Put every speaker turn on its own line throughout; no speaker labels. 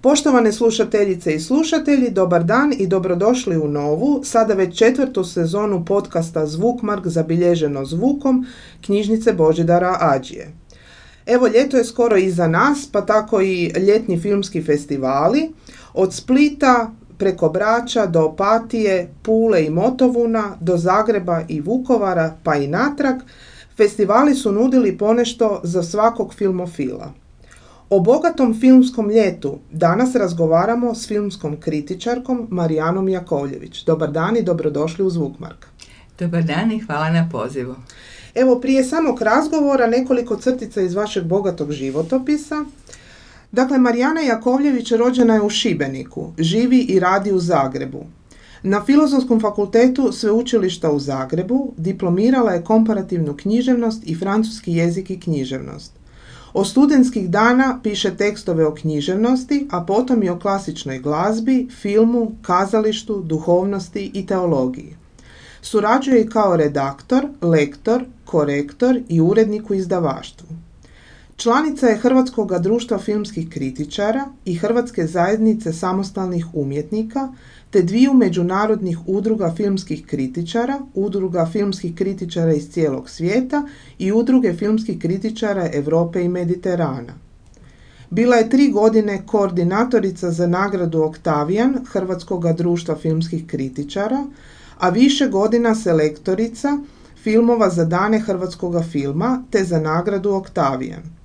Poštovane slušateljice i slušatelji, dobar dan i dobrodošli u novu, sada već 4. sezonu podcasta Zvukmark zabilježeno zvukom knjižnice Božidara Ađije. Evo, ljeto je skoro iza nas, pa tako i ljetni filmski festivali. Od Splita preko Brača do Opatije, Pule i Motovuna, do Zagreba i Vukovara, pa i natrag, festivali su nudili ponešto za svakog filmofila. O bogatom filmskom ljetu danas razgovaramo s filmskom kritičarkom Marijanom Jakovljević. Dobar dan i dobrodošli u Zvukmark.
Dobar dan i hvala na pozivu.
Evo, prije samog razgovora nekoliko crtica iz vašeg bogatog životopisa. Dakle, Marijana Jakovljević rođena je u Šibeniku, živi i radi u Zagrebu. Na Filozofskom fakultetu Sveučilišta u Zagrebu diplomirala je komparativnu književnost i francuski jezik i književnost. Od studentskih dana piše tekstove o književnosti, a potom i o klasičnoj glazbi, filmu, kazalištu, duhovnosti i teologiji. Surađuje i kao redaktor, lektor, korektor i urednik u izdavaštvu. Članica je Hrvatskog društva filmskih kritičara i Hrvatske zajednice samostalnih umjetnika, te dviju međunarodnih udruga filmskih kritičara, Udruga filmskih kritičara iz cijelog svijeta i Udruge filmskih kritičara Europe i Mediterana. Bila je 3 godine koordinatorica za nagradu Oktavijan Hrvatskog društva filmskih kritičara, a više godina selektorica filmova za dane hrvatskog filma te za nagradu Oktavijan.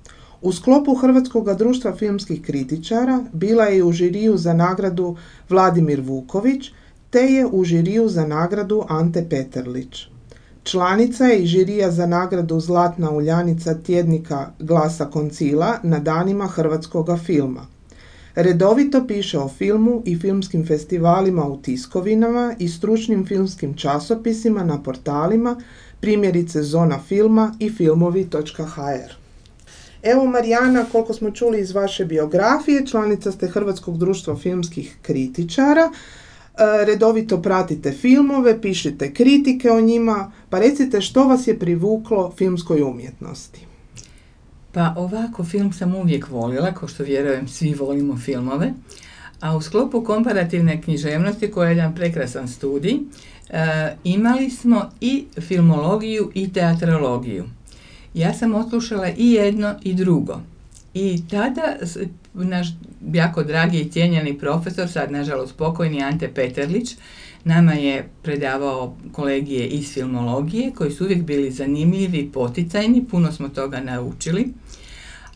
U sklopu Hrvatskog društva filmskih kritičara bila je u žiriju za nagradu Vladimir Vuković, te je u žiriju za nagradu Ante Peterlić. Članica je i žirija za nagradu Zlatna uljanica tjednika Glasa Koncila na danima hrvatskog filma. Redovito piše o filmu i filmskim festivalima u tiskovinama i stručnim filmskim časopisima na portalima, primjerice Zona filma i filmovi.hr. Evo, Marijana, koliko smo čuli iz vaše biografije, članica ste Hrvatskog društva filmskih kritičara, redovito pratite filmove, pišete kritike o njima, pa recite što vas je privuklo filmskoj umjetnosti?
Pa ovako, film sam uvijek volila, kao što vjerujem svi volimo filmove, a u sklopu komparativne književnosti, koja je jedan prekrasan studij, imali smo i filmologiju i teatrologiju. Ja sam odslušala i jedno i drugo. I tada naš jako dragi i cijenjeni profesor, sad nažalost pokojni Ante Peterlić, nama je predavao kolegije iz filmologije koji su uvijek bili zanimljivi i poticajni, puno smo toga naučili.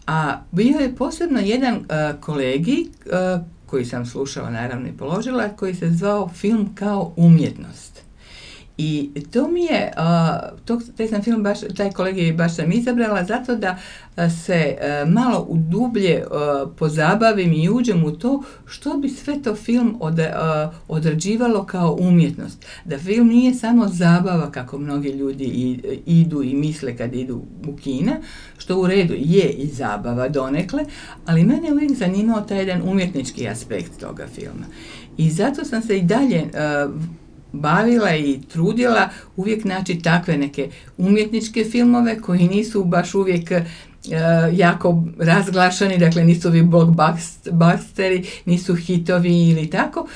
A bio je posebno jedan kolegij koji sam slušala naravno i položila, koji se zvao Film kao umjetnost. I to mi je, taj kolegij baš sam izabrala zato da se malo u dublje pozabavim i uđem u to što bi sve to film odrađivalo kao umjetnost. Da film nije samo zabava kako mnogi ljudi idu i misle kad idu u kina, što u redu je i zabava donekle, ali mene uvijek zanimao taj jedan umjetnički aspekt toga filma. I zato sam se i dalje bavila i trudila uvijek naći takve neke umjetničke filmove koji nisu baš uvijek jako razglašani, dakle nisu ovi blockbusteri, nisu hitovi ili tako,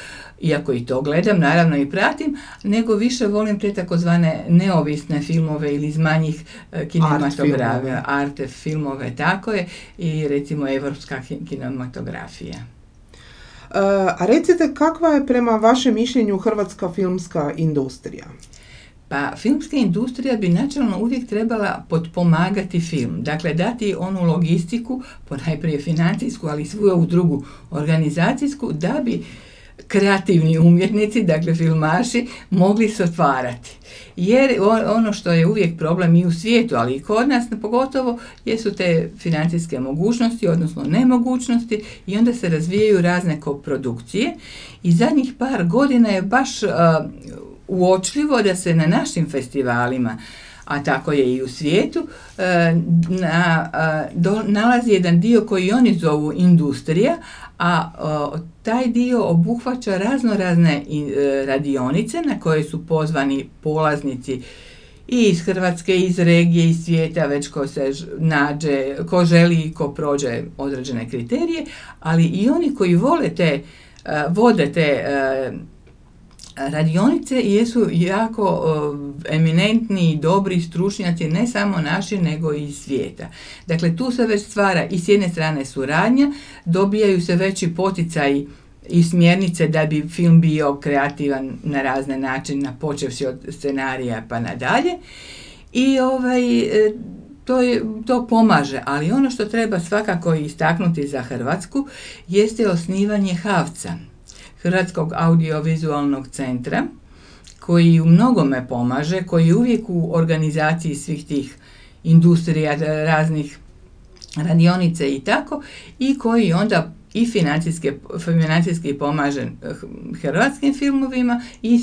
iako i to gledam, naravno i pratim, nego više volim te takozvane neovisne filmove ili iz manjih kinematografija, arte filmove, tako je, i recimo evropska kinematografija.
A recite, kakva je prema vašem mišljenju hrvatska filmska industrija?
Pa filmska industrija bi načelno uvijek trebala potpomagati film, dakle dati onu logistiku, ponajprije financijsku, ali i svu ovu drugu organizacijsku, da bi kreativni umjetnici, dakle filmaši, mogli se otvarati. Jer ono što je uvijek problem i u svijetu, ali i kod nas pogotovo, jesu te financijske mogućnosti, odnosno nemogućnosti, i onda se razvijaju razne koprodukcije. I zadnjih par godina je baš uočljivo da se na našim festivalima, a tako je i u svijetu, nalazi jedan dio koji oni zovu industrija, a taj dio obuhvaća raznorazne radionice na koje su pozvani polaznici i iz Hrvatske, iz regije, iz svijeta, već ko se nađe, ko želi i ko prođe određene kriterije, ali i oni koji vode te radionice jesu jako eminentni i dobri stručnjaci, ne samo naši, nego i iz svijeta. Dakle, tu se već stvara i s jedne strane suradnja, dobijaju se veći poticaji i smjernice da bi film bio kreativan na razne načine, počevši od scenarija pa nadalje. I to pomaže, ali ono što treba svakako istaknuti za Hrvatsku jeste osnivanje HAVC-a, Hrvatskog audiovizualnog centra, koji u mnogome pomaže, koji uvijek u organizaciji svih tih industrija, raznih radionica i tako, i koji onda i financijski pomaže hrvatskim filmovima i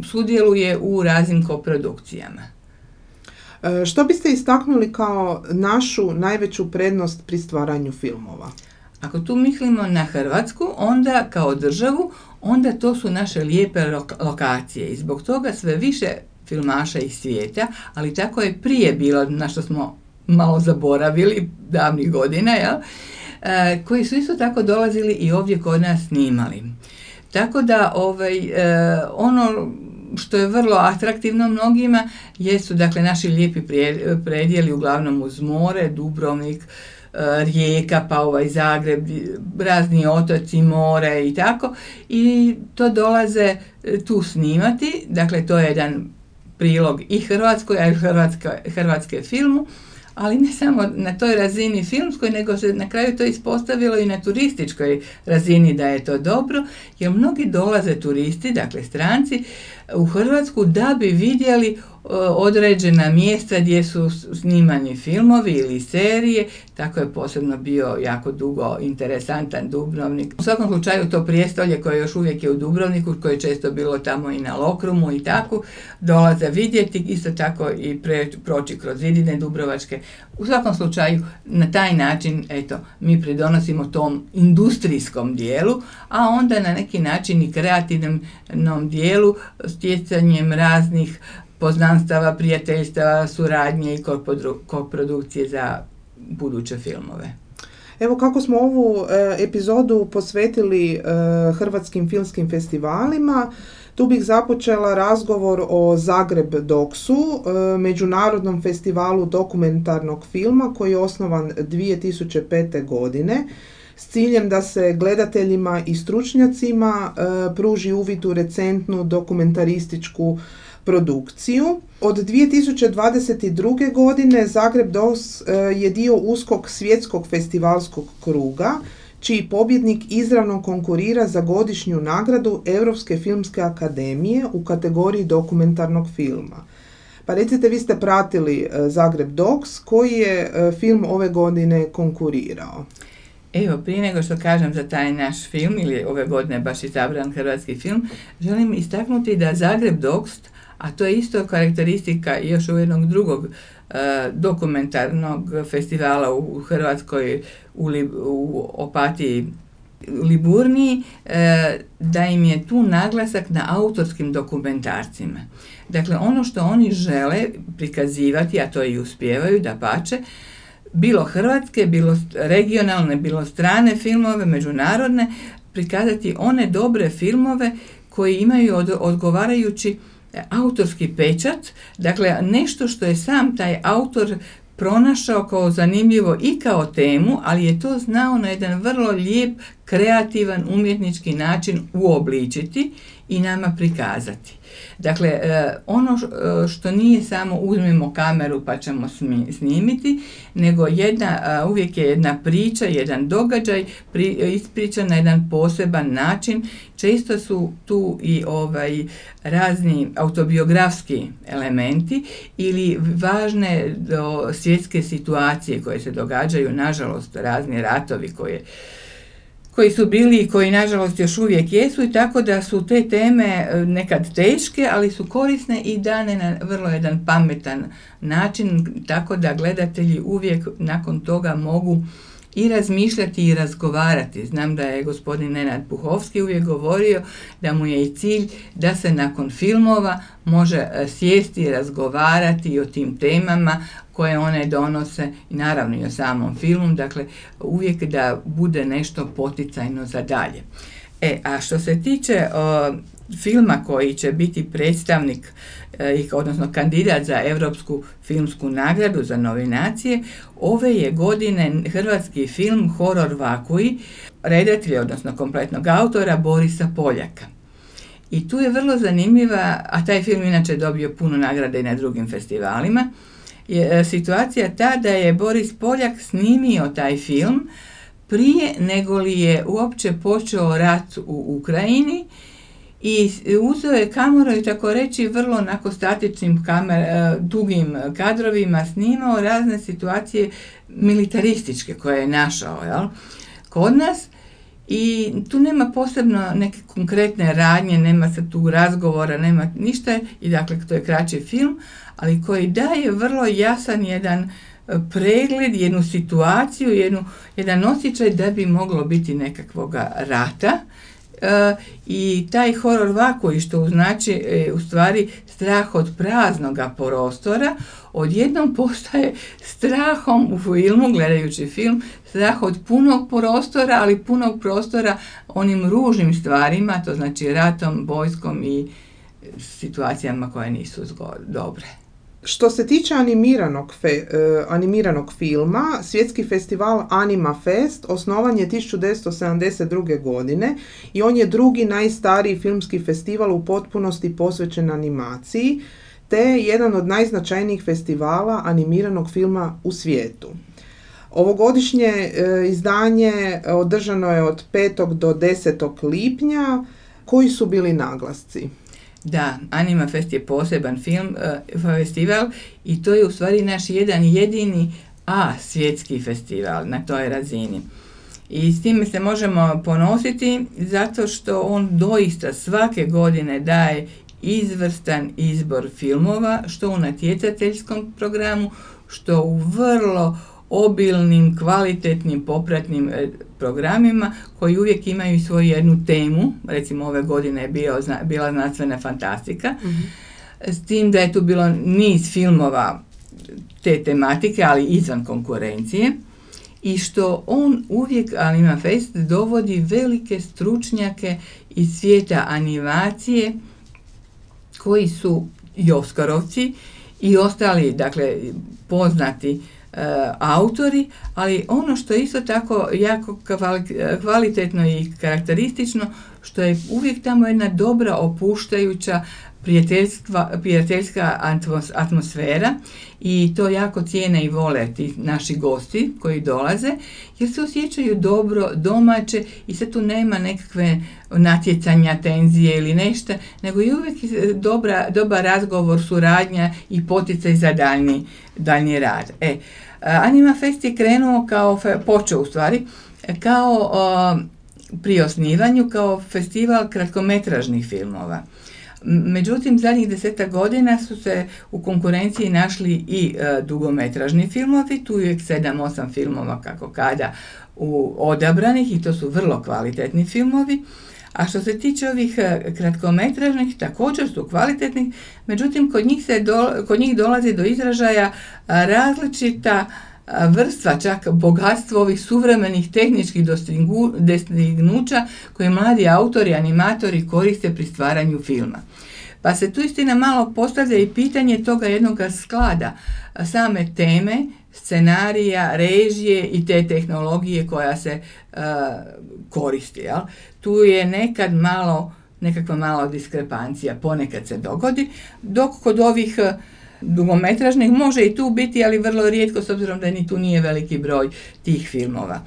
sudjeluje u raznim koprodukcijama.
Što biste istaknuli kao našu najveću prednost pri stvaranju filmova?
Ako tu mislimo na Hrvatsku, onda kao državu, onda to su naše lijepe lokacije i zbog toga sve više filmaša iz svijeta, ali tako je prije bilo, na što smo malo zaboravili davnih godina, koji su isto tako dolazili i ovdje kod nas snimali. Tako da ono što je vrlo atraktivno mnogima jesu dakle naši lijepi predjeli, uglavnom uz more, Dubrovnik, Rijeka, pa Zagreb, razni otoci, more i tako, i to dolaze tu snimati. Dakle, to je jedan prilog i Hrvatskoj, a i hrvatske filmu, ali ne samo na toj razini filmskoj, nego se na kraju to ispostavilo i na turističkoj razini da je to dobro, jer mnogi dolaze turisti, dakle stranci, u Hrvatsku da bi vidjeli određena mjesta gdje su snimani filmovi ili serije. Tako je posebno bio jako dugo interesantan Dubrovnik. U svakom slučaju to prijestolje koje još uvijek je u Dubrovniku, koje je često bilo tamo i na Lokrumu i tako, dolaze vidjeti, isto tako i proći kroz zidine dubrovačke. U svakom slučaju na taj način mi pridonosimo tom industrijskom dijelu, a onda na neki način i kreativnom dijelu, stjecanjem raznih poznanstava, prijateljstava, suradnje i koprodukcije za buduće filmove.
Evo, kako smo ovu epizodu posvetili hrvatskim filmskim festivalima, tu bih započela razgovor o Zagreb Doksu, međunarodnom festivalu dokumentarnog filma koji je osnovan 2005. godine s ciljem da se gledateljima i stručnjacima pruži uvid u recentnu dokumentarističku produkciju. Od 2022. godine Zagreb Doks je dio uskog svjetskog festivalskog kruga, čiji pobjednik izravno konkurira za godišnju nagradu Europske filmske akademije u kategoriji dokumentarnog filma. Pa recite, vi ste pratili Zagreb Doks, koji je film ove godine konkurirao?
Evo, prije nego što kažem za taj naš film, ili ove godine baš izabran hrvatski film, želim istaknuti da Zagreb Doks, a to je isto karakteristika još u jednog drugog dokumentarnog festivala u Hrvatskoj, u Opatiji, Liburniji, da im je tu naglasak na autorskim dokumentarcima. Dakle, ono što oni žele prikazivati, a to i uspijevaju, dapače, bilo hrvatske, bilo regionalne, bilo strane filmove, međunarodne, prikazati one dobre filmove koji imaju odgovarajući autorski pečat, dakle nešto što je sam taj autor pronašao kao zanimljivo i kao temu, ali je to znao na jedan vrlo lijep, kreativan, umjetnički način uobličiti i nama prikazati. Dakle, ono što nije samo uzmemo kameru pa ćemo snimiti, nego uvijek je jedna priča, jedan događaj ispričan na jedan poseban način. Često su tu i razni autobiografski elementi ili važne svjetske situacije koje se događaju, nažalost razni ratovi koji su bili i koji nažalost još uvijek jesu, i tako da su te teme nekad teške, ali su korisne i dane na vrlo jedan pametan način, tako da gledatelji uvijek nakon toga mogu i razmišljati i razgovarati. Znam da je gospodin Nenad Puhovski uvijek govorio da mu je i cilj da se nakon filmova može sjesti i razgovarati o tim temama koje one donose i naravno i o samom filmu, dakle uvijek da bude nešto poticajno za dalje. A što se tiče filma koji će biti predstavnik, odnosno kandidat za Europsku filmsku nagradu za nominacije, ove je godine hrvatski film Horor Vakuji, redatelja, odnosno kompletnog autora Borisa Poljaka. I tu je vrlo zanimljiva, a taj film inače dobio puno nagrade i na drugim festivalima, je situacija ta da je Boris Poljak snimio taj film prije nego li je uopće počeo rat u Ukrajini i uzeo je kameru i tako reći vrlo onako statičnim dugim kadrovima snimao razne situacije militarističke koje je našao kod nas. I tu nema posebno neke konkretne radnje, nema se tu razgovora, nema ništa, i dakle to je kraći film, ali koji daje vrlo jasan jedan pregled, jednu situaciju, jedan osjećaj da bi moglo biti nekakvoga rata. I taj horor vakuji, što znači u stvari strah od praznoga prostora, odjednom postaje strahom u filmu, gledajući film, strah od punog prostora, ali punog prostora onim ružnim stvarima, to znači ratom, vojskom i situacijama koje nisu dobre.
Što se tiče animiranog filma, svjetski festival Anima Fest osnovan je 1972. godine i on je drugi najstariji filmski festival u potpunosti posvećen animaciji, te je jedan od najznačajnijih festivala animiranog filma u svijetu. Ovogodišnje izdanje održano je od 5. do 10. lipnja. Koji su bili naglasci?
Da, Anima Fest je poseban festival i to je u stvari naš jedan jedini svjetski festival na toj razini. I s time se možemo ponositi zato što on doista svake godine daje izvrstan izbor filmova, što u natjecateljskom programu, što u vrlo obilnim, kvalitetnim, popratnim programima koji uvijek imaju svoju jednu temu. Recimo ove godine je bila znanstvena fantastika, s tim da je tu bilo niz filmova te tematike, ali izvan konkurencije, i što on uvijek, Anima Fest, dovodi velike stručnjake iz svijeta animacije koji su i Oskarovci i ostali, dakle, poznati autori, ali ono što je isto tako jako kvalitetno i karakteristično, što je uvijek tamo jedna dobra, opuštajuća, prijateljska atmosfera, i to jako cijene i vole ti naši gosti koji dolaze, jer se osjećaju dobro, domaće, i sad tu nema nekakve natjecanja, tenzije ili nešto, nego je uvijek dobar razgovor, suradnja i poticaj za daljnji rad. Anima Fest je krenuo počeo u stvari kao pri osnivanju kao festival kratkometražnih filmova. Međutim, zadnjih 10 godina su se u konkurenciji našli i dugometražni filmovi, tu je 7-8 filmova kako kada odabranih, i to su vrlo kvalitetni filmovi. A što se tiče ovih kratkometražnih, također su kvalitetni, međutim kod njih dolazi do izražaja različita vrstva, čak bogatstvo ovih suvremenih tehničkih dostignuća koje mladi autori, animatori koriste pri stvaranju filma. Pa se tu istina malo postavlja i pitanje toga jednog sklada same teme, scenarija, režije i te tehnologije koja se koristi. Jel? Tu je nekakva mala diskrepancija, ponekad se dogodi, dok kod ovih dugometražnih može i tu biti, ali vrlo rijetko, s obzirom da ni tu nije veliki broj tih filmova.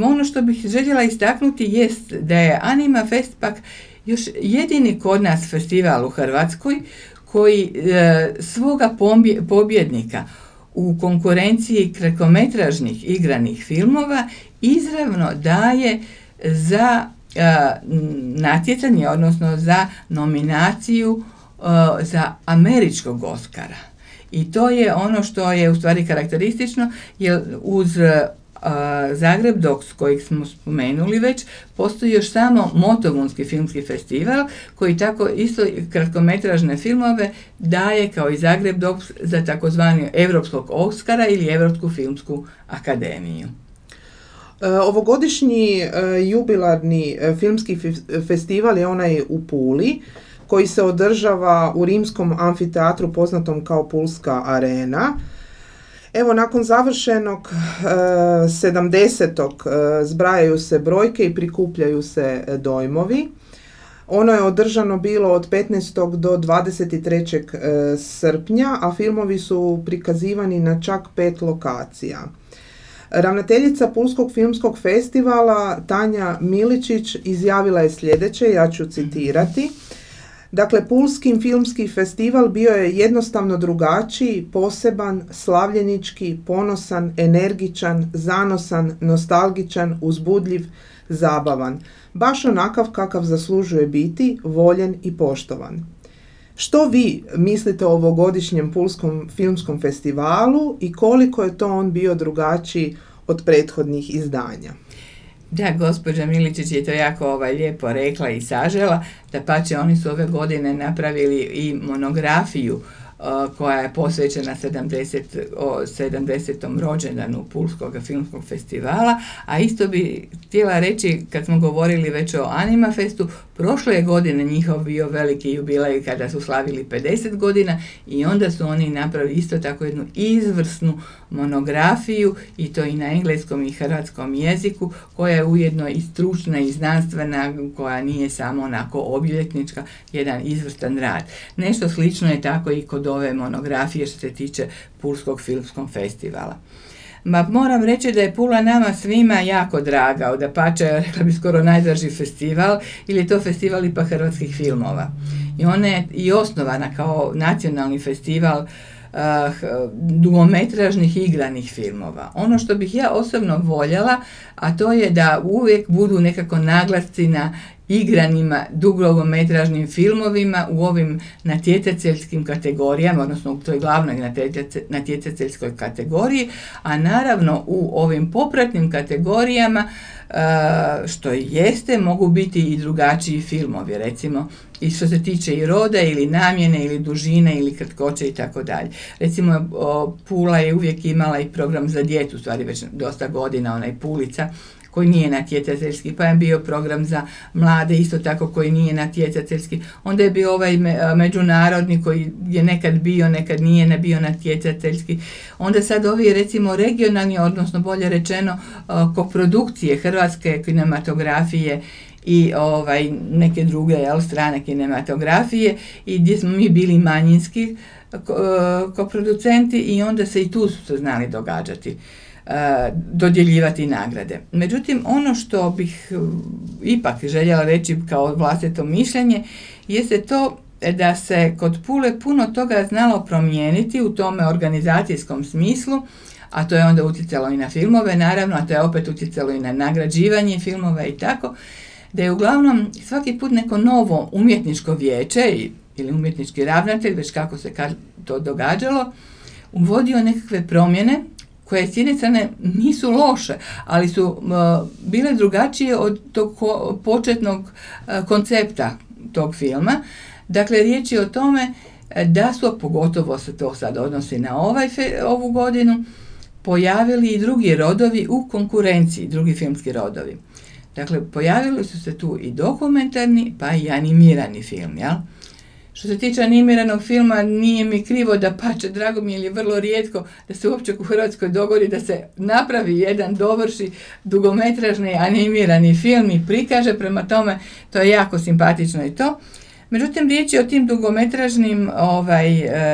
Ono što bih željela istaknuti jest da je Anima Fest pak još jedini kod nas festival u Hrvatskoj koji svoga pobjednika u konkurenciji kratkometražnih igranih filmova izravno daje za natjecanje, odnosno za nominaciju za američkog Oscara. I to je ono što je u stvari karakteristično, jer uz Zagreb Docs, kojeg smo spomenuli već, postoji još samo Motovunski filmski festival, koji tako isto kratkometražne filmove daje kao i Zagreb Docs za takozvani Europskog Oskara ili Europsku filmsku akademiju.
Ovogodišnji jubilarni filmski festival je onaj u Puli, koji se održava u rimskom amfiteatru poznatom kao Pulska arena. Evo, nakon završenog 70. Zbrajaju se brojke i prikupljaju se dojmovi. Ono je održano bilo od 15. do 23. srpnja, a filmovi su prikazivani na čak 5 lokacija. Ravnateljica Pulskog filmskog festivala Tanja Miličić izjavila je sljedeće, ja ću citirati. Dakle, Pulski filmski festival bio je jednostavno drugačiji, poseban, slavljenički, ponosan, energičan, zanosan, nostalgičan, uzbudljiv, zabavan. Baš onakav kakav zaslužuje biti, voljen i poštovan. Što vi mislite o ovogodišnjem Pulskom filmskom festivalu i koliko je to on bio drugačiji od prethodnih izdanja?
Da, gospođa Miličić je to jako lijepo rekla i sažela. Dapače, oni su ove godine napravili i monografiju koja je posvećena 70. rođendanu Pulskog filmskog festivala, a isto bi htjela reći, kad smo govorili već o Anima Festu, prošle godine njihov bio veliki jubilej kada su slavili 50 godina i onda su oni napravili isto tako jednu izvrsnu monografiju i to i na engleskom i hrvatskom jeziku, koja je ujedno i stručna i znanstvena, koja nije samo onako obljetnička, jedan izvrstan rad. Nešto slično je tako i kod ove monografije što se tiče Pulskog filmskog festivala. Moram reći da je Pula nama svima jako draga, dapače, rekla bi skoro najdraži festival, ili je to festival ipak hrvatskih filmova. I ona je i osnovana kao nacionalni festival dugometražnih igranih filmova. Ono što bih ja osobno voljela, a to je da uvijek budu nekako naglasci na igranima dugometražnim filmovima u ovim natjecateljskim kategorijama, odnosno u toj glavnoj natjecateljskoj kategoriji, a naravno u ovim popratnim kategorijama, što i jeste, mogu biti i drugačiji filmovi, recimo i što se tiče i roda ili namjene ili dužine ili kratkoće i tako dalje. Recimo, Pula je uvijek imala i program za djecu, stvari već dosta godina, onaj Pulica, koji nije natjecateljski, pa je bio program za mlade, isto tako koji nije natjecateljski. Onda je bio ovaj međunarodni koji je nekad bio, nekad nije bio natjecateljski. Onda sad ovi recimo regionalni, odnosno bolje rečeno koprodukcije hrvatske kinematografije i neke druge strane kinematografije i gdje smo mi bili manjinski koproducenti i onda se i tu su se znali događati. Dodjeljivati nagrade. Međutim, ono što bih ipak željela reći kao vlastito mišljenje jeste to da se kod Pule puno toga znalo promijeniti u tome organizacijskom smislu, a to je onda utjecalo i na filmove, naravno, a to je opet utjecalo i na nagrađivanje filmova i tako, da je uglavnom svaki put neko novo umjetničko vijeće ili umjetnički ravnatelj, već kako se to događalo, uvodio nekakve promjene koje s jedne strane nisu loše, ali su bile drugačije od tog početnog koncepta tog filma. Dakle, riječ je o tome da su, pogotovo se to sad odnosi na ovu godinu, pojavili i drugi rodovi u konkurenciji, drugi filmski rodovi. Dakle, pojavili su se tu i dokumentarni, pa i animirani film, jel? Što se tiče animiranog filma, nije mi krivo, dapače, drago mi je vrlo rijetko da se uopće u Hrvatskoj dogodi da se napravi jedan, dovrši dugometražni animirani film i prikaže, prema tome to je jako simpatično i to. Međutim, riječ je o tim dugometražnim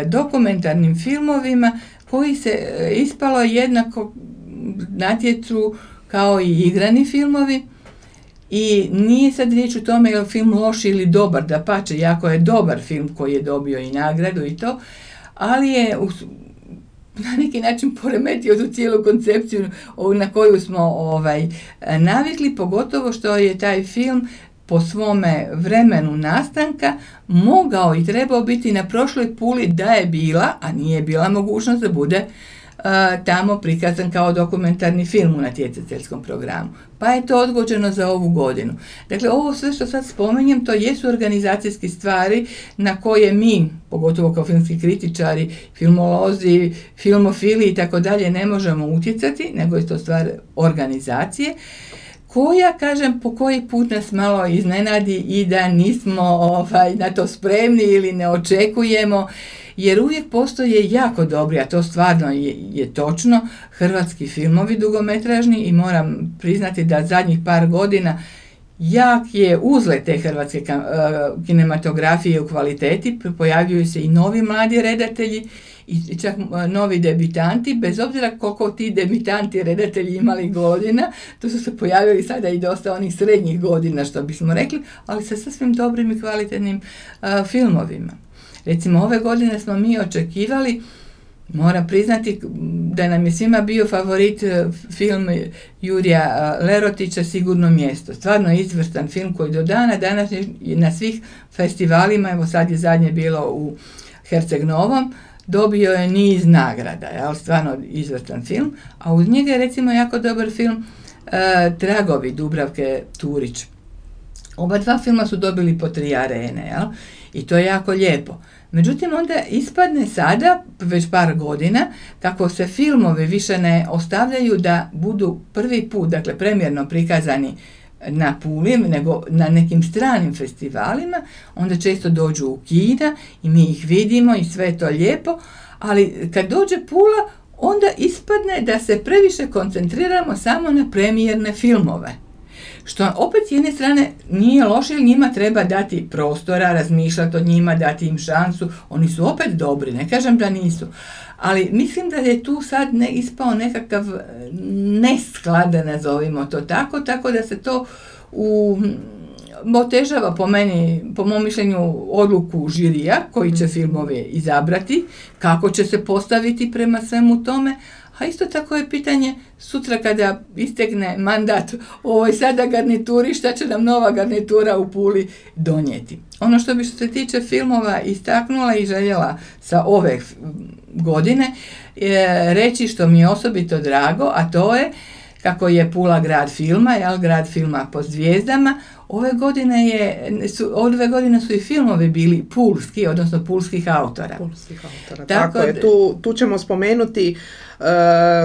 dokumentarnim filmovima koji se ispalo jednako natječu kao i igrani filmovi. I nije sad riječ o tome je li film loš ili dobar, dapače, jako je dobar film koji je dobio i nagradu i to, ali je na neki način poremetio tu cijelu koncepciju na koju smo navikli, pogotovo što je taj film po svome vremenu nastanka mogao i trebao biti na prošloj Puli da je bila, a nije bila mogućnost da bude tamo prikazan kao dokumentarni film u natjecateljskom programu. Pa je to odgođeno za ovu godinu. Dakle, ovo sve što sad spominjem, to jesu organizacijske stvari na koje mi, pogotovo kao filmski kritičari, filmolozi, filmofili i tako dalje, ne možemo utjecati, nego je to stvar organizacije, koja, kažem, po koji put nas malo iznenadi i da nismo na to spremni ili ne očekujemo, jer uvijek postoje jako dobri, a to stvarno je točno, hrvatski filmovi dugometražni i moram priznati da zadnjih par godina jak je uzlet te hrvatske kinematografije u kvaliteti, pojavljuju se i novi mladi redatelji i čak novi debitanti, bez obzira koliko ti debitanti redatelji imali godina, tu su se pojavili sada i dosta onih srednjih godina, što bismo rekli, ali sa sasvim dobrim i kvalitetnim filmovima. Recimo, ove godine smo mi očekivali, moram priznati da nam je svima bio favorit film Jurija Lerotića Sigurno mjesto. Stvarno izvrstan film koji do dana danas na svih festivalima, evo sad je zadnje bilo u Herceg Novom, dobio je niz nagrada, stvarno izvrstan film, a uz njega je recimo jako dobar film Tragovi Dubravke Turić. Oba dva filma su dobili po 3 arene, i to je jako lijepo. Međutim, onda ispadne sada, već par godina, kako se filmovi više ne ostavljaju da budu prvi put, dakle premjerno prikazani na Puli, nego na nekim stranim festivalima, onda često dođu u kina i mi ih vidimo i sve je to lijepo, ali kad dođe Pula, onda ispadne da se previše koncentriramo samo na premijerne filmove. Što opet s jedne strane nije loše, jer njima treba dati prostora, razmišljati o njima, dati im šansu, oni su opet dobri, ne kažem da nisu. Ali mislim da je tu sad ispao nekakav nesklad, nazovimo to tako da se to otežava po mom mišljenju odluku žirija koji će filmove izabrati, kako će se postaviti prema svemu tome, a isto tako je pitanje sutra kada istekne mandat ovoj sada garnituri, šta će nam nova garnitura u Puli donijeti. Ono što se tiče filmova istaknula i željela sa ove godine reći što mi je osobito drago, a to je kako je Pula grad filma, grad filma po zvijezdama. Ove godine su i filmovi bili pulski, odnosno pulskih autora.
Tako je. Tu ćemo spomenuti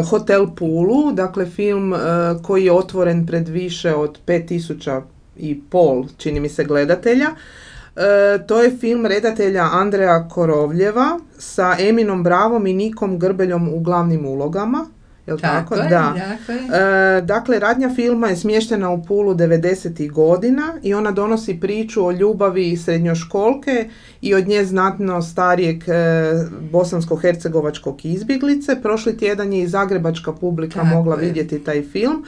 Hotel Pulu, dakle film koji je otvoren pred više od 5.500 čini mi se gledatelja. To je film redatelja Andreja Korovljeva sa Eminom Bravom i Nikom Grbeljom u glavnim ulogama. Tako? Da. Dakle, radnja filma je smještena u Pulu 90. godina i ona donosi priču o ljubavi srednjoškolke i od nje znatno starijeg bosansko-hercegovačkog izbjeglice. Prošli tjedan je i zagrebačka publika mogla vidjeti taj film.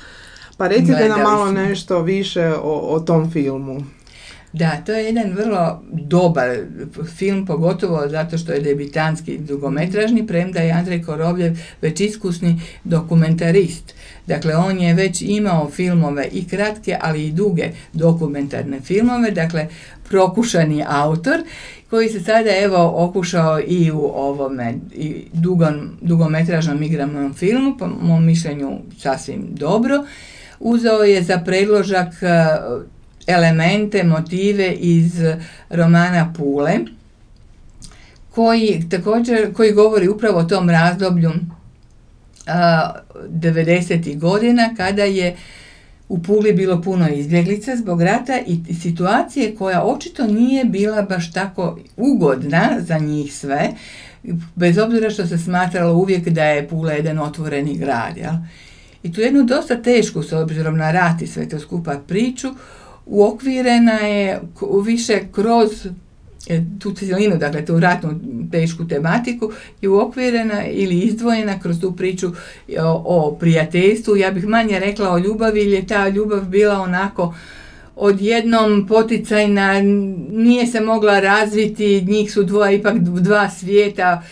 Pa recite nam malo nešto više o tom filmu.
Da, to je jedan vrlo dobar film, pogotovo zato što je debitanski dugometražni, premda je Andrej Korovljev već iskusni dokumentarist. Dakle, on je već imao filmove i kratke, ali i duge dokumentarne filmove, dakle, prokušani autor, koji se sada okušao i u ovome dugometražnom igranom filmu, po mom mišljenju sasvim dobro. Uzeo je za predložak elemente, motive iz romana Pule, koji govori upravo o tom razdoblju 90. godina, kada je u Puli bilo puno izbjeglica zbog rata i situacije koja očito nije bila baš tako ugodna za njih sve, bez obzira što se smatralo uvijek da je Pula jedan otvoreni grad. Jel? I tu jednu dosta tešku, s obzirom na rat i sve to skupa priču, uokvirena je više kroz tu cijelinu, dakle tu ratnu tešku tematiku, je uokvirena ili izdvojena kroz tu priču o prijateljstvu. Ja bih manje rekla o ljubavi, jer je ta ljubav bila onako odjednom poticajna, nije se mogla razviti, njih su ipak dva svijeta,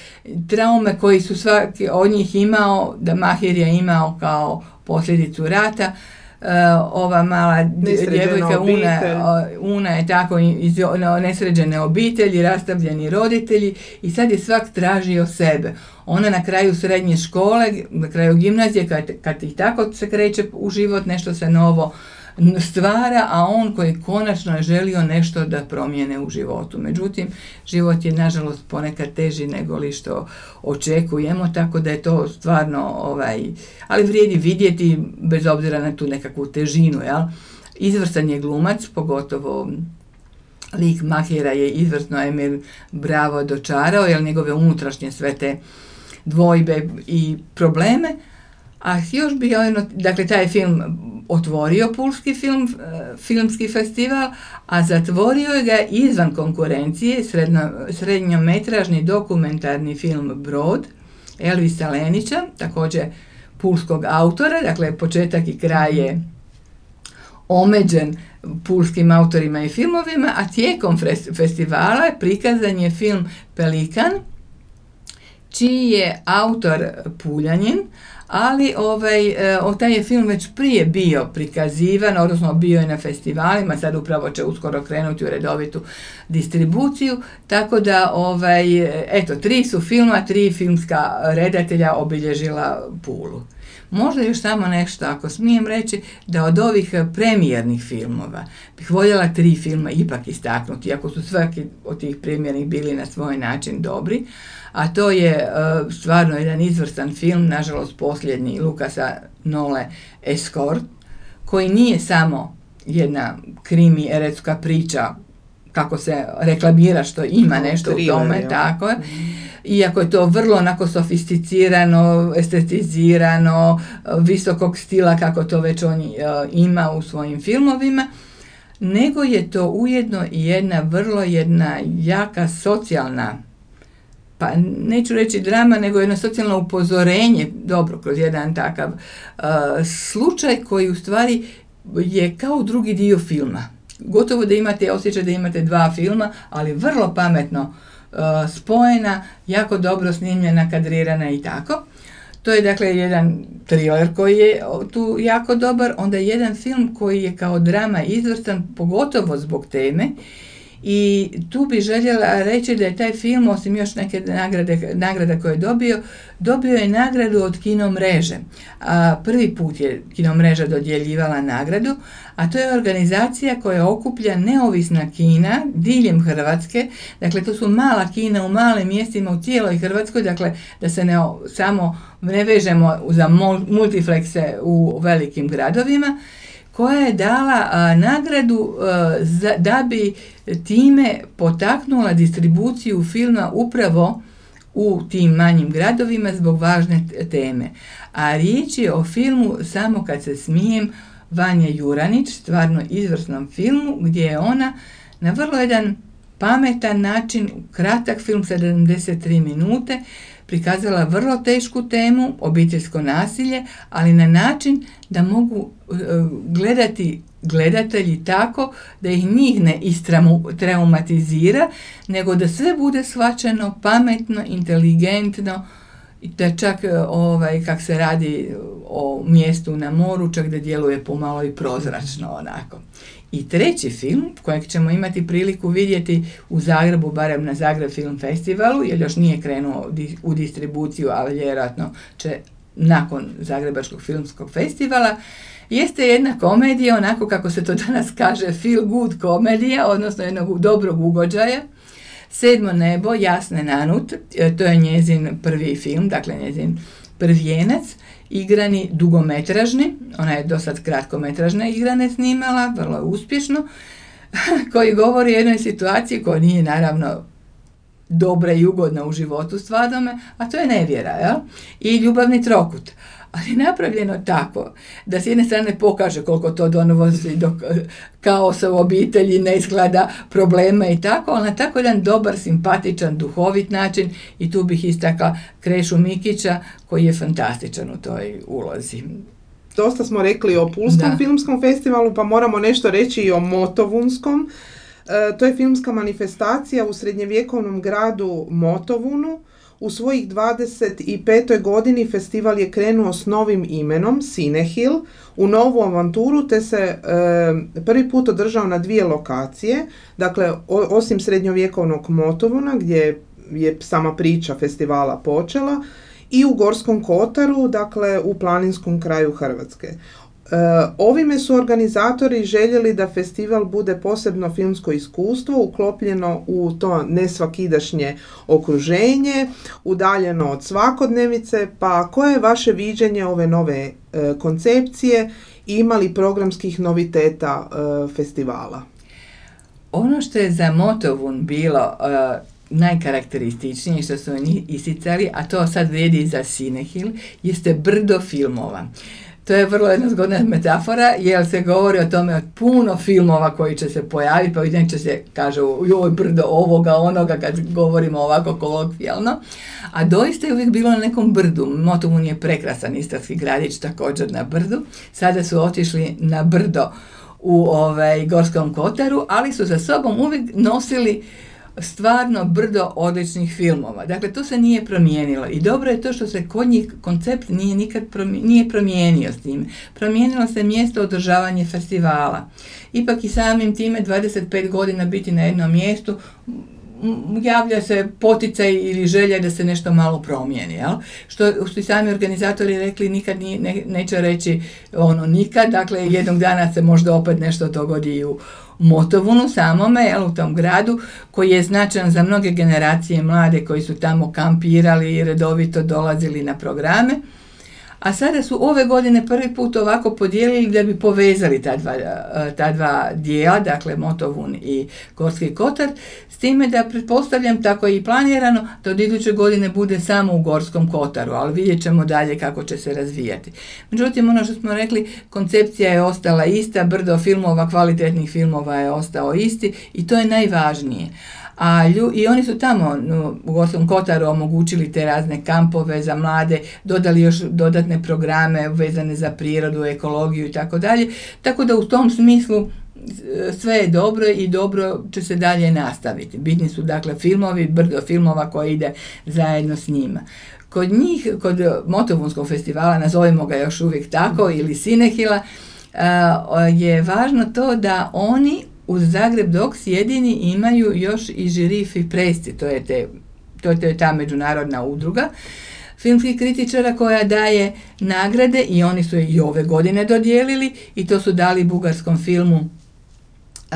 traume koji su svaki od njih imao, da Mahir je imao kao posljedicu rata, ova mala djevojka Una je tako iz nesređene obitelji, rastavljeni roditelji i sad je svak tražio sebe. Ona na kraju srednje škole, na kraju gimnazije, kad i tako se kreće u život, nešto se novo stvara, a on koji konačno je želio nešto da promijene u životu. Međutim, život je nažalost ponekad teži nego li što očekujemo, tako da je to stvarno, ali vrijedi vidjeti bez obzira na tu nekakvu težinu, jel? Izvrstan je glumac, pogotovo lik Mahira je izvrsno Emil Bravo dočarao, jer njegove unutrašnje sve te dvojbe i probleme. A još bi, dakle, taj film otvorio Pulski filmski festival, a zatvorio ga izvan konkurencije srednjometražni dokumentarni film Brod Elvisa Lenića, također pulskog autora, dakle početak i kraj je omeđen pulskim autorima i filmovima, a tijekom festivala prikazan je film Pelikan, čiji je autor Puljanin, ali taj je film već prije bio prikazivan, odnosno bio je na festivalima, sad upravo će uskoro krenuti u redovitu distribuciju, tako da, 3 su filma, 3 filmska redatelja obilježila Pulu. Možda još samo nešto, ako smijem reći, da od ovih premijernih filmova bih voljela 3 filma ipak istaknuti, iako su svaki od tih premijernih bili na svoj način dobri, a to je stvarno jedan izvrstan film, nažalost posljednji, Lukasa Nole Escort, koji nije samo jedna krimi eretska priča, kako se reklamira što ima nešto u tome, tako je. Iako je to vrlo onako sofisticirano, estetizirano, visokog stila kako to već on ima u svojim filmovima, nego je to ujedno i jedna jaka socijalna, pa neću reći drama, nego jedno socijalno upozorenje, dobro, kroz jedan takav slučaj koji u stvari je kao drugi dio filma. Gotovo da imate osjećaj da imate 2 filma, ali vrlo pametno spojena, jako dobro snimljena, kadrirana i tako. To je dakle jedan thriller koji je tu jako dobar, onda je jedan film koji je kao drama izvrstan, pogotovo zbog teme. I tu bi željela reći da je taj film, osim još neke nagrade koje je dobio je nagradu od Kinomreže. Prvi put je Kinomreža dodjeljivala nagradu, a to je organizacija koja okuplja neovisna kina diljem Hrvatske. Dakle, to su mala kina u malim mjestima u cijeloj Hrvatskoj, dakle da se ne vežemo za multiplekse u velikim gradovima, koja je dala nagradu da bi time potaknula distribuciju filma upravo u tim manjim gradovima zbog važne teme. A riječ je o filmu Samo kad se smijem Vanje Juranić, stvarno izvrsnom filmu gdje je ona na vrlo jedan pametan način, kratak film 73 minute, prikazala vrlo tešku temu, obiteljsko nasilje, ali na način da mogu gledati gledatelji tako da ih njih ne traumatizira, nego da sve bude shvaćeno pametno, inteligentno, da čak kak se radi o mjestu na moru, čak da djeluje pomalo i prozračno onako. I treći film, kojeg ćemo imati priliku vidjeti u Zagrebu, barem na Zagreb Film Festivalu, jer još nije krenuo u distribuciju, ali vjerojatno će nakon Zagrebačkog filmskog festivala, jeste jedna komedija, onako kako se to danas kaže, feel good komedija, odnosno jednog dobrog ugođaja. Sedmo nebo, Jasne Nanut, to je njezin prvi film, dakle njezin prvijenac, igrani dugometražni, ona je dosad kratkometražne igrane snimala, vrlo uspješno, koji govori o jednoj situaciji koja nije naravno dobra i ugodna u životu stvarnome, a to je nevjera, jel? I ljubavni trokut. Ali napravljeno tako da s jedne strane pokaže koliko to donosi do kaosa u obitelji, neizgleda problema i tako, ali na tako jedan dobar, simpatičan, duhovit način, i tu bih istakla Krešu Mikića koji je fantastičan u toj ulozi.
Dosta smo rekli o Pulskom filmskom festivalu, pa moramo nešto reći i o Motovunskom. To je filmska manifestacija u srednjevjekovnom gradu Motovunu U svojih 25. godini festival je krenuo s novim imenom, Cinehill, u novu avanturu, te se prvi put održao na 2 lokacije. Dakle, osim srednjovjekovnog Motovuna, gdje je sama priča festivala počela, i u Gorskom Kotaru, dakle u planinskom kraju Hrvatske. Ovime su organizatori željeli da festival bude posebno filmsko iskustvo, uklopljeno u to nesvakidašnje okruženje, udaljeno od svakodnevice. Pa koje je vaše viđenje ove nove koncepcije i ima li programskih noviteta festivala?
Ono što je za Motovun bilo najkarakterističnije, što su oni isticali, a to sad vrijedi i za Cinehill, jeste brdo filmova. To je vrlo jedna zgodna metafora, jer se govori o tome od puno filmova koji će se pojaviti, pa će se kaže joj brdo ovoga, onoga, kad govorimo ovako kolokvijalno. A doista je uvijek bilo na nekom brdu. Motovun je prekrasan istarski gradić, također na brdu. Sada su otišli na brdo u Gorskom Kotaru, ali su za sobom uvijek nosili stvarno brdo odličnih filmova. Dakle, to se nije promijenilo i dobro je to što se kod njih koncept nije promijenio s tim. Promijenilo se mjesto održavanja festivala. Ipak i samim time 25 godina biti na jednom mjestu javlja se poticaj ili želja da se nešto malo promijeni. Jel? Što su i sami organizatori rekli, nikad neće reći nikad, dakle jednog dana se možda opet nešto dogodi i u Motovunu samome, u tom gradu koji je značajan za mnoge generacije mlade koji su tamo kampirali i redovito dolazili na programe. A sada su ove godine prvi put ovako podijelili da bi povezali ta dva dijela, dakle Motovun i Gorski Kotar, s time da pretpostavljam, tako je i planirano, da od iduće godine bude samo u Gorskom Kotaru, ali vidjet ćemo dalje kako će se razvijati. Međutim, ono što smo rekli, koncepcija je ostala ista, brdo filmova, kvalitetnih filmova je ostao isti i to je najvažnije. I oni su tamo u Gorskom Kotaru omogućili te razne kampove za mlade, dodali još dodatne programe vezane za prirodu, ekologiju i tako dalje. Tako da u tom smislu sve je dobro i dobro će se dalje nastaviti. Bitni su dakle filmovi, brdo filmova koji ide zajedno s njima. Kod njih, kod Motovunskog festivala, nazovimo ga još uvijek tako, ili Cinehilla, je važno to da oni uz Zagreb Docs jedini imaju još i žiri FIPRESCI, to je ta međunarodna udruga filmskih kritičara koja daje nagrade i oni su i ove godine dodijelili i to su dali bugarskom filmu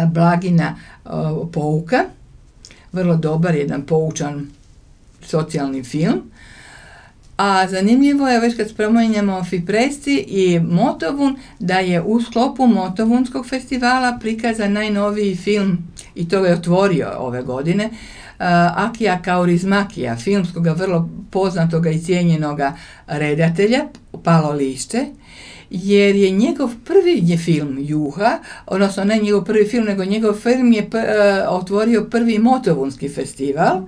Blagina pouka, vrlo dobar, jedan poučan socijalni film. A zanimljivo je, već kad spominjemo FIPRESCI i Motovun, da je u sklopu Motovunskog festivala prikazan najnoviji film, i to je otvorio ove godine, Akija Kaurismäkija, filmskoga vrlo poznatoga i cijenjenoga redatelja, Palo lišće, jer je njegov prvi film Juha, odnosno ne njegov prvi film, nego njegov film je otvorio prvi Motovunski festival,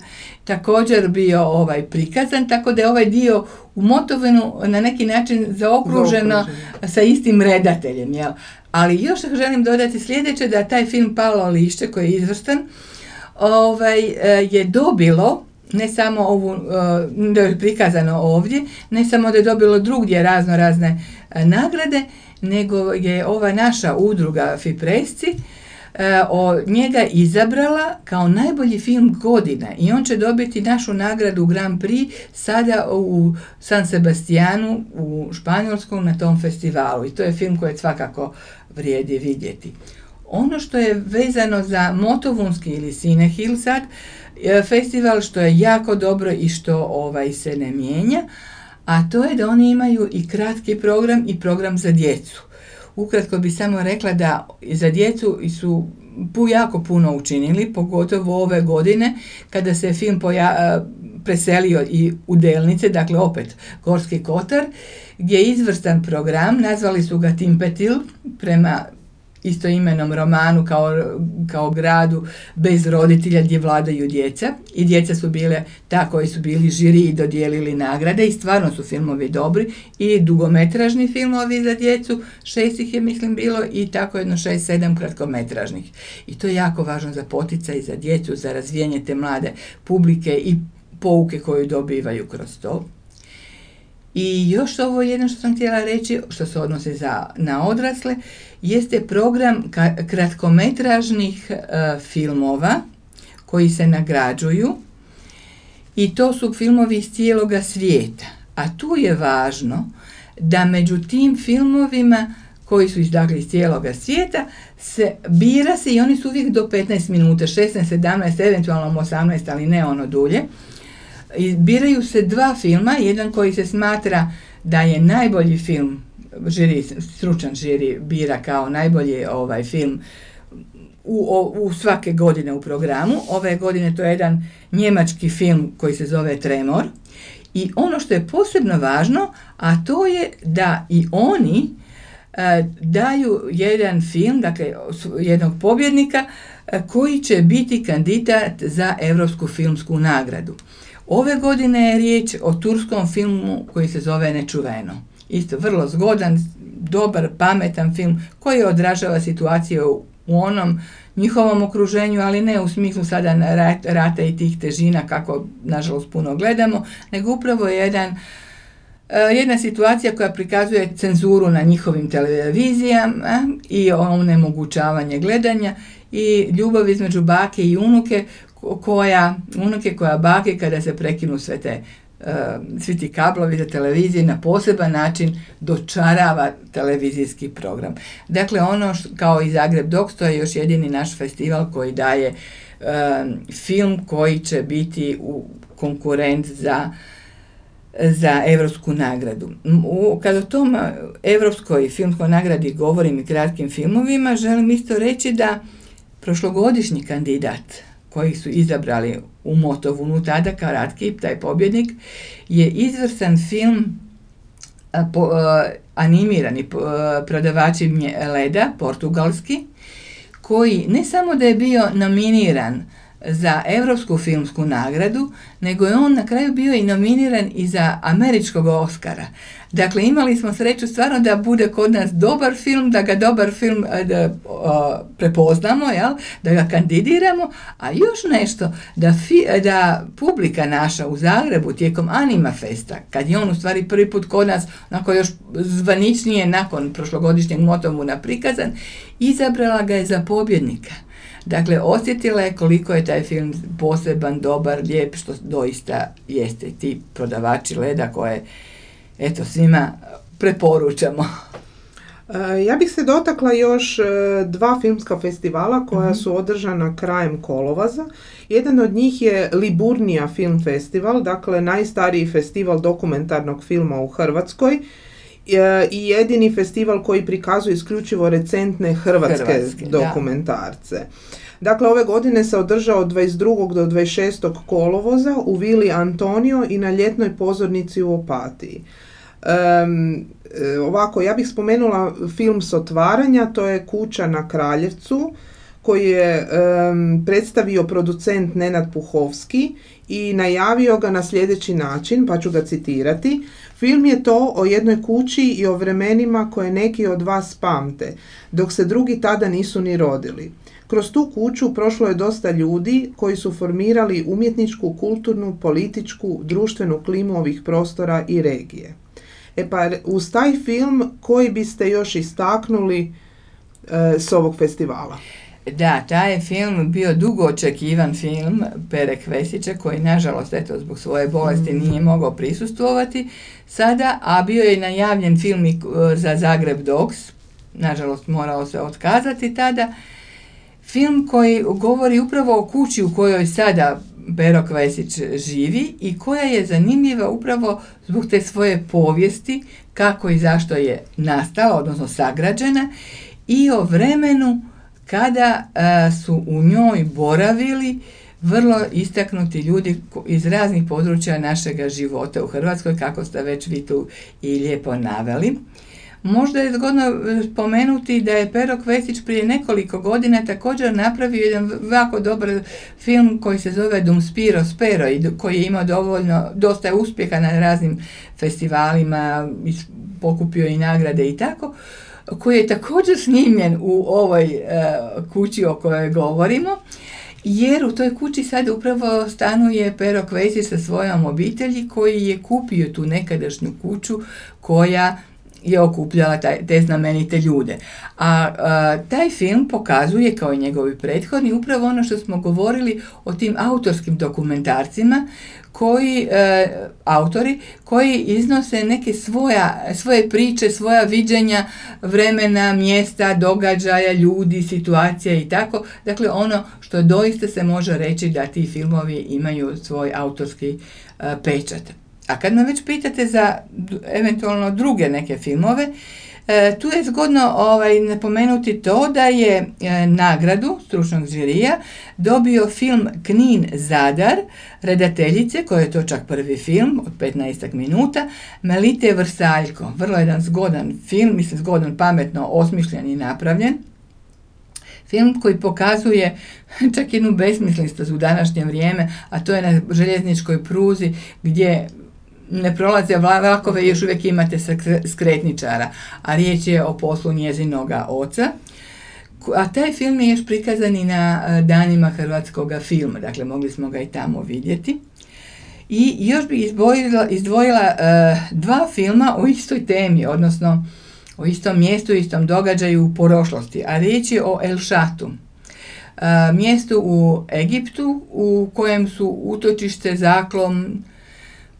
također bio prikazan, tako da je ovaj dio u Motovunu na neki način zaokruženo sa istim redateljem. Jel? Ali još želim dodati sljedeće, da taj film Palo lišće, koji je izvrstan, je dobilo ne samo da je prikazano ovdje, ne samo da je dobilo drugdje razne nagrade, nego je ova naša udruga FIPRESCI njega izabrala kao najbolji film godine i on će dobiti našu nagradu Grand Prix sada u San Sebastianu u Španjolskom na tom festivalu i to je film koji svakako vrijedi vidjeti. Ono što je vezano za Motovunski ili Cinehill sad, festival, što je jako dobro i što se ne mijenja, a to je da oni imaju i kratki program i program za djecu. Ukratko bi samo rekla da za djecu su jako puno učinili, pogotovo ove godine kada se film preselio i u Delnice, dakle opet Gorski Kotar, gdje je izvrstan program, nazvali su ga Timpetil prema istoimenom romanu kao gradu bez roditelja gdje vladaju djeca i djeca su bile ta koji su bili žiri i dodijelili nagrade i stvarno su filmovi dobri i dugometražni filmovi za djecu, 6 ih je mislim bilo i tako jedno 6-7 kratkometražnih i to je jako važno za poticaj za djecu, za razvijanje te mlade publike i pouke koju dobivaju kroz to. I još ovo jedno što sam htjela reći, što se odnosi na odrasle, jeste program kratkometražnih filmova koji se nagrađuju, i to su filmovi iz cijeloga svijeta. A tu je važno da među tim filmovima koji su iz cijeloga svijeta bira se, i oni su uvijek do 15 minuta, 16, 17, eventualno 18, ali ne ono dulje. Biraju se dva filma, jedan koji se smatra da je najbolji film, stručan žiri bira kao najbolji film u svake godine u programu. Ove godine to je jedan njemački film koji se zove Tremor. I ono što je posebno važno, a to je da i oni daju jedan film, dakle jednog pobjednika koji će biti kandidat za Europsku filmsku nagradu. Ove godine je riječ o turskom filmu koji se zove Nečuveno. Isto vrlo zgodan, dobar, pametan film koji odražava situaciju u onom njihovom okruženju, ali ne u smislu sada rata i tih težina kako nažalost puno gledamo, nego upravo jedna situacija koja prikazuje cenzuru na njihovim televizijama i onemogućavanje gledanja i ljubav između bake i unuke koja bake kada se prekinu svi ti kablovi za televizije na poseban način dočarava televizijski program. Dakle, kao i Zagreb Docs, to je još jedini naš festival koji daje film koji će biti konkurent za Europsku nagradu. Kad o tom Europskoj filmskoj nagradi govorim i kratkim filmovima, želim isto reći da prošlogodišnji kandidat koji su izabrali u Motovunu tada, Karatki, taj pobjednik, je izvrstan film animirani Prodavači leda, portugalski, koji ne samo da je bio nominiran za Europsku filmsku nagradu, nego je on na kraju bio i nominiran i za američkog Oscara. Dakle, imali smo sreću stvarno da bude kod nas dobar film, da ga dobar film prepoznamo, da ga kandidiramo, a još nešto, da publika naša u Zagrebu tijekom Anima Festa, kad je on u stvari prvi put kod nas, onako još zvaničnije nakon prošlogodišnjeg Motovuna prikazan, izabrala ga je za pobjednika. Dakle, osjetila je koliko je taj film poseban, dobar, lijep, što doista jeste, ti Prodavači leda koje, svima preporučamo.
Ja bih se dotakla još dva filmska festivala koja su održana krajem kolovoza. Jedan od njih je Liburnija film festival, dakle najstariji festival dokumentarnog filma u Hrvatskoj i jedini festival koji prikazuje isključivo recentne hrvatske dokumentarce. Da. Dakle, ove godine se održao od 22. do 26. kolovoza u Vili Antonio i na ljetnoj pozornici u Opatiji. Ovako, ja bih spomenula film s otvaranja, to je Kuća na Kraljevcu, koji je predstavio producent Nenad Puhovski i najavio ga na sljedeći način, pa ću ga citirati. Film je to o jednoj kući i o vremenima koje neki od vas pamte, dok se drugi tada nisu ni rodili. Kroz tu kuću prošlo je dosta ljudi koji su formirali umjetničku, kulturnu, političku, društvenu klimu ovih prostora i regije. Pa uz taj film koji biste još istaknuli s ovog festivala?
Da, taj je film bio dugo očekivan film Pere Kvesića, koji nažalost zbog svoje bolesti nije mogao prisustvovati sada, a bio je najavljen film za Zagreb Docs, nažalost morao se otkazati tada. Film koji govori upravo o kući u kojoj sada Pero Kvesić živi i koja je zanimljiva upravo zbog te svoje povijesti, kako i zašto je nastala, odnosno sagrađena, i o vremenu kada su u njoj boravili vrlo istaknuti ljudi iz raznih područja našega života u Hrvatskoj, kako ste već vi tu i lijepo naveli. Možda je zgodno spomenuti da je Pero Kvesić prije nekoliko godina također napravio jedan jako dobar film koji se zove Dum Spiro Spero i koji je imao dosta uspjeha na raznim festivalima, pokupio i nagrade i tako, koji je također snimljen u ovoj kući o kojoj govorimo. jer u toj kući sad upravo stanuje Pero Kvesi sa svojom obitelji koji je kupio tu nekadašnju kuću koja je okupljala te znamenite ljude. A taj film pokazuje, kao i njegovi prethodni, upravo ono što smo govorili o tim autorskim dokumentarcima, autori koji iznose neke svoje priče, svoja viđenja vremena, mjesta, događaja, ljudi, situacija i tako. Dakle, ono što doista se može reći da ti filmovi imaju svoj autorski pečat. A kad me već pitate za eventualno druge neke filmove, tu je zgodno napomenuti to da je nagradu stručnog žirija dobio film Knin Zadar, redateljice, koja je to čak prvi film od 15 minuta, Melite Vrsaljko. Vrlo jedan zgodan film, mislim zgodan, pametno osmišljen i napravljen. Film koji pokazuje čak jednu besmislistost u današnje vrijeme, a to je na željezničkoj pruzi gdje ne prolaze vlakove i još uvijek imate skretničara, a riječ je o poslu njezinoga oca. A taj film je još prikazan i na danima hrvatskog filma, dakle mogli smo ga i tamo vidjeti. I još bih izdvojila dva filma o istoj temi, odnosno o istom mjestu, istom događaju u prošlosti, a riječ je o El Šatu. Mjestu u Egiptu u kojem su utočište, zaklon,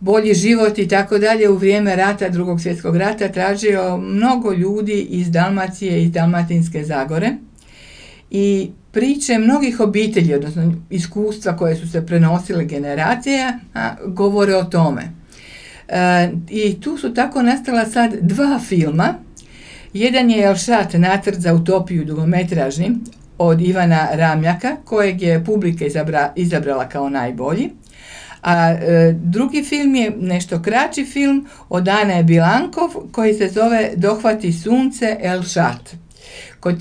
bolji život i tako dalje u vrijeme rata, Drugog svjetskog rata, tražio mnogo ljudi iz Dalmacije i Dalmatinske Zagore i priče mnogih obitelji, odnosno iskustva koje su se prenosile generacija, govore o tome. I tu su tako nastala sad dva filma. Jedan je El Šat, nacrt za utopiju, dugometražni, od Ivana Ramljaka, kojeg je publika izabrala kao najbolji. A drugi film je nešto kraći film od Ane Bilankov koji se zove Dohvati sunce El Šat. Kod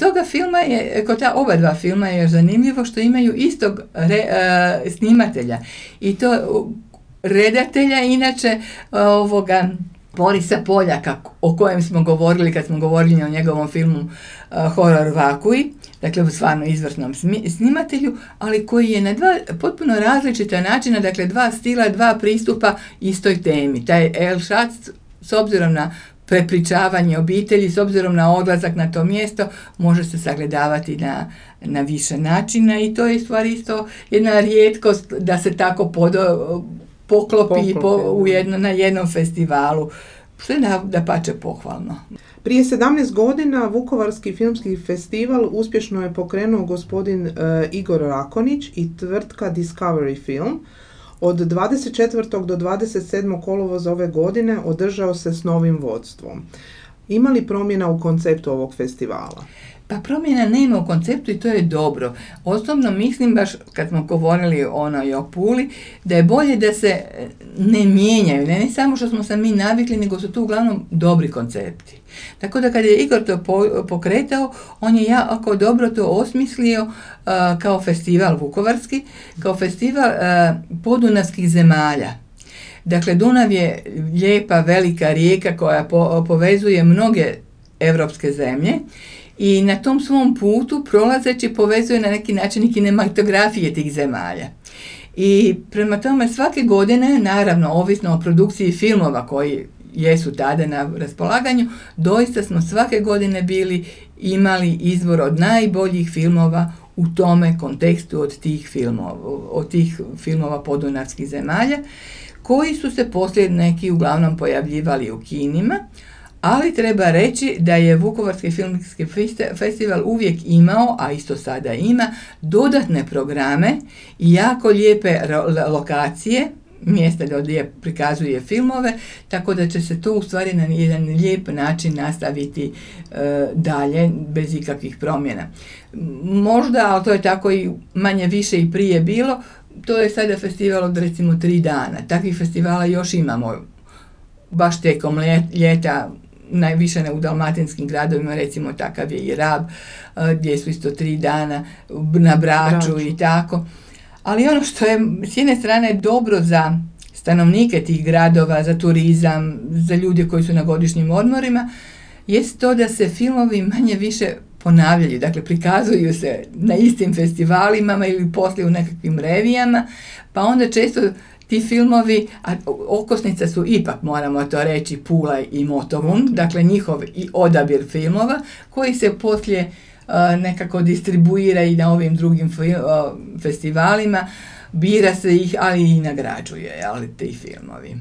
ta oba dva filma je zanimljivo što imaju istog snimatelja i to redatelja inače Borisa Poljaka, o kojem smo govorili kad smo govorili o njegovom filmu Horor Vakui, dakle stvarno izvrsnom snimatelju, ali koji je na dva potpuno različita načina, dakle dva stila, dva pristupa istoj temi. Taj El Šat, s obzirom na prepričavanje obitelji, s obzirom na odlazak na to mjesto, može se sagledavati na više načina i to je stvari isto jedna rijetkost da se tako poklopi na jednom festivalu, što je dapače pohvalno.
Prije 17 godina Vukovarski filmski festival uspješno je pokrenuo gospodin Igor Rakonić i tvrtka Discovery Film. Od 24. do 27. kolovoza ove godine održao se s novim vodstvom. Ima li promjena u konceptu ovog festivala?
Pa promjena nema u konceptu i to je dobro. Osobno mislim, baš kad smo govorili i o Puli, da je bolje da se ne mijenjaju. Ne samo što smo se mi navikli, nego su tu uglavnom dobri koncepti. Tako da kad je Igor to pokretao, on je jako dobro to osmislio kao festival vukovarski, kao festival podunavskih zemalja. Dakle, Dunav je lijepa, velika rijeka koja povezuje mnoge europske zemlje i na tom svom putu prolazeći povezuje na neki način i kinematografije tih zemalja. I prema tome svake godine, naravno ovisno o produkciji filmova koji jesu tada na raspolaganju, doista smo svake godine imali izbor od najboljih filmova u tome kontekstu od tih filmova podunavskih zemalja, koji su se poslije neki uglavnom pojavljivali u kinima, ali treba reći da je Vukovarski filmski festival uvijek imao, a isto sada ima, dodatne programe i jako lijepe lokacije, mjesta gdje prikazuje filmove, tako da će se to u stvari na jedan lijep način nastaviti dalje, bez ikakvih promjena. Možda, ali to je tako i manje više i prije bilo, to je sada festival od recimo 3 dana. Takvih festivala još imamo baš tijekom ljeta, najviše u dalmatinskim gradovima, recimo takav je i Rab, gdje su isto 3 dana na Braču i tako. Ali ono što je s jedne strane dobro za stanovnike tih gradova, za turizam, za ljude koji su na godišnjim odmorima, jest to da se filmovi manje više ponavljaju, dakle prikazuju se na istim festivalima ili poslije u nekakvim revijama, pa onda često ti filmovi, a okosnica su ipak, moramo to reći, Pula i Motovun, dakle njihov i odabir filmova koji se poslije nekako distribuira i na ovim drugim festivalima, bira se ih, ali i nagrađuje, ali ti filmovi.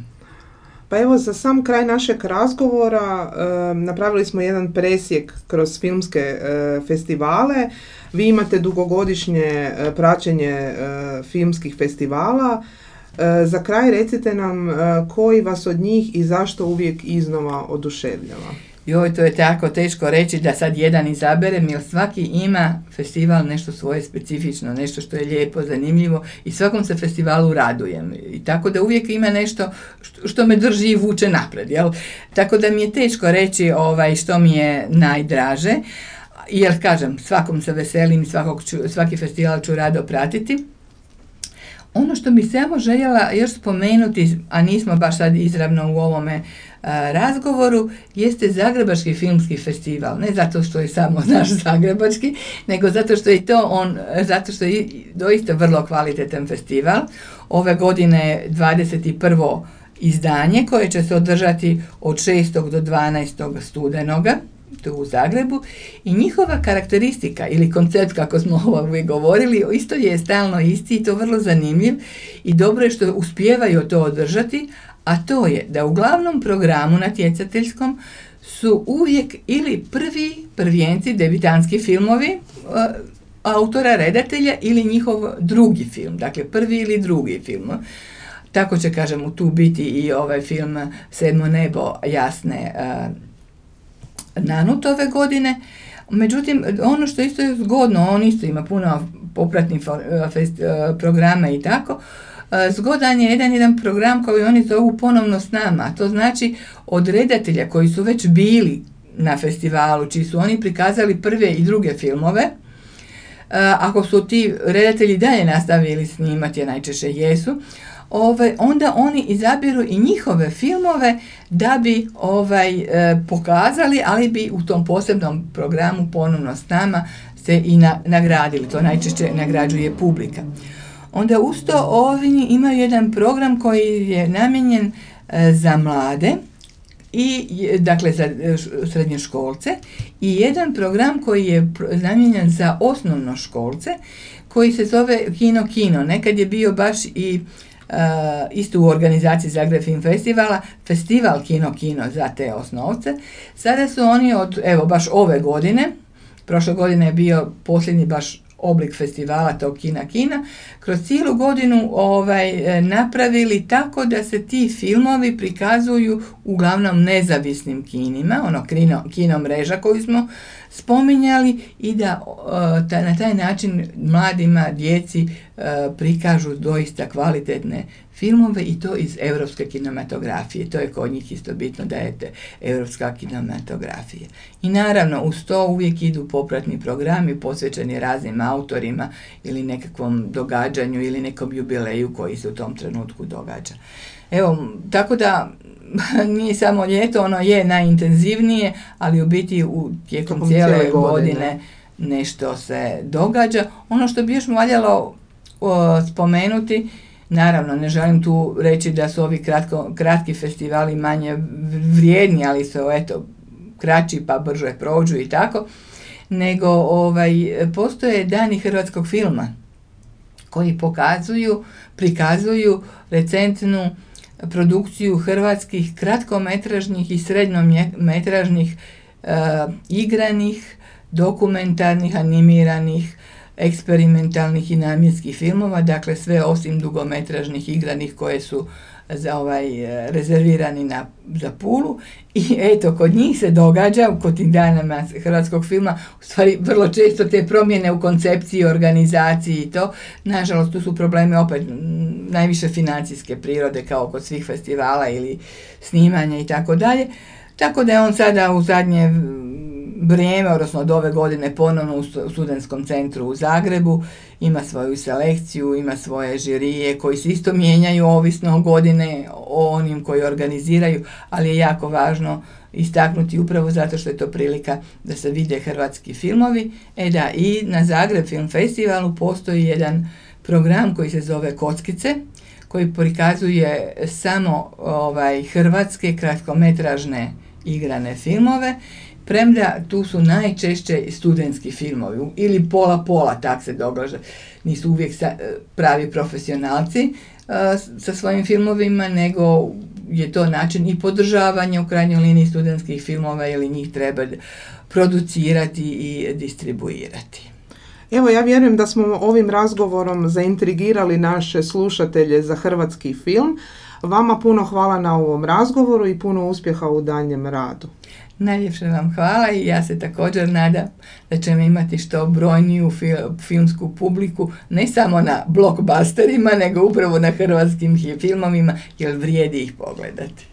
Pa evo, za sam kraj našeg razgovora napravili smo jedan presjek kroz filmske festivale. Vi imate dugogodišnje praćenje filmskih festivala. Za kraj recite nam koji vas od njih i zašto uvijek iznova oduševljava.
Joj, to je tako teško reći da sad jedan izaberem, jer svaki ima festival nešto svoje specifično, nešto što je lijepo, zanimljivo i svakom se festivalu radujem. I tako da uvijek ima nešto što me drži i vuče napred, jel? Tako da mi je teško reći što mi je najdraže, jer kažem, svakom se veselim i svaki festival ću rado pratiti. Ono što bih samo željela još spomenuti, a nismo baš sad izravno u ovome razgovoru, jeste Zagrebački filmski festival. Ne zato što je samo naš zagrebački, nego zato što je zato što je doista vrlo kvalitetan festival. Ove godine je 21. izdanje koje će se održati od 6. do 12. studenoga tu u Zagrebu i njihova karakteristika ili koncept, kako smo uvijek govorili, isto je stalno isti i to vrlo zanimljiv i dobro je što uspijevaju to održati, a to je da u glavnom programu natjecateljskom su uvijek ili prvijenci, debitanski filmovi autora, redatelja ili njihov drugi film, dakle prvi ili drugi film. Tako će, kažem, tu biti i ovaj film Sedmo nebo Jasne Nanut ove godine. Međutim, ono što isto je zgodno, on isto ima puno popratnih programa i tako, zgodan je jedan program koji oni zovu Ponovno s nama. To znači od redatelja koji su već bili na festivalu, čiji su oni prikazali prve i druge filmove, ako su ti redatelji dalje nastavili snimati, a najčešće jesu, onda oni izabiru i njihove filmove da bi pokazali, ali bi u tom posebnom programu Ponovno s nama se i nagradili. To najčešće nagrađuje publika. Onda uz to ovi imaju jedan program koji je namijenjen za mlade, dakle za srednjoškolce, i jedan program koji je namijenjen za osnovnoškolce koji se zove Kino. Nekad je bio baš i isto u organizaciji Zagreb Film Festivala, festival Kino za te osnovce. Sada su oni evo baš ove godine, prošle godine je bio posljednji baš oblik festivala tog Kina, kroz cijelu godinu napravili tako da se ti filmovi prikazuju uglavnom nezavisnim kinima, kino mreža koju smo spominjali, i da na taj način mladima, djeci prikažu doista kvalitetne filmove i to iz europske kinematografije. To je kod njih isto bitno da je europska kinematografija. I naravno uz to uvijek idu popratni programi posvećeni raznim autorima ili nekakvom događanju ili nekom jubileju koji se u tom trenutku događa. Evo, tako da nije samo ljeto, ono je najintenzivnije, ali u biti tijekom cijele godine nešto se događa. Ono što bi još valjalo spomenuti, naravno ne želim tu reći da su ovi kratki festivali manje vrijedni, ali su kraći pa brže prođu i tako, nego postoje dani hrvatskog filma koji prikazuju recentnu produkciju hrvatskih kratkometražnih i srednjometražnih igranih, dokumentarnih, animiranih, eksperimentalnih i namjenskih filmova, dakle sve osim dugometražnih igranih koje su rezervirani za Pulu. I eto, kod njih se događa, kod tih dana hrvatskog filma, u stvari vrlo često te promjene u koncepciji, organizaciji i to, nažalost tu su problemi opet najviše financijske prirode kao kod svih festivala ili snimanja i tako dalje. Tako da je on sada u zadnje vrijeme, odnosno od ove godine ponovno u Studentskom centru u Zagrebu, ima svoju selekciju, ima svoje žirije koji se isto mijenjaju ovisno godine o onim koji organiziraju, ali je jako važno istaknuti upravo zato što je to prilika da se vide hrvatski filmovi. I na Zagreb Film Festivalu postoji jedan program koji se zove Kockice, koji prikazuje samo hrvatske kratkometražne igrane filmove, premda tu su najčešće studentski filmovi ili pola, tak se događa. Nisu uvijek pravi profesionalci sa svojim filmovima, nego je to način i podržavanja u krajnjoj liniji studentskih filmova ili njih treba producirati i distribuirati.
Evo, ja vjerujem da smo ovim razgovorom zaintrigirali naše slušatelje za hrvatski film. Vama puno hvala na ovom razgovoru i puno uspjeha u daljnjem radu.
Najljepše vam hvala i ja se također nadam da ćemo imati što brojniju filmsku publiku, ne samo na blockbusterima, nego upravo na hrvatskim filmovima, jer vrijedi ih pogledati.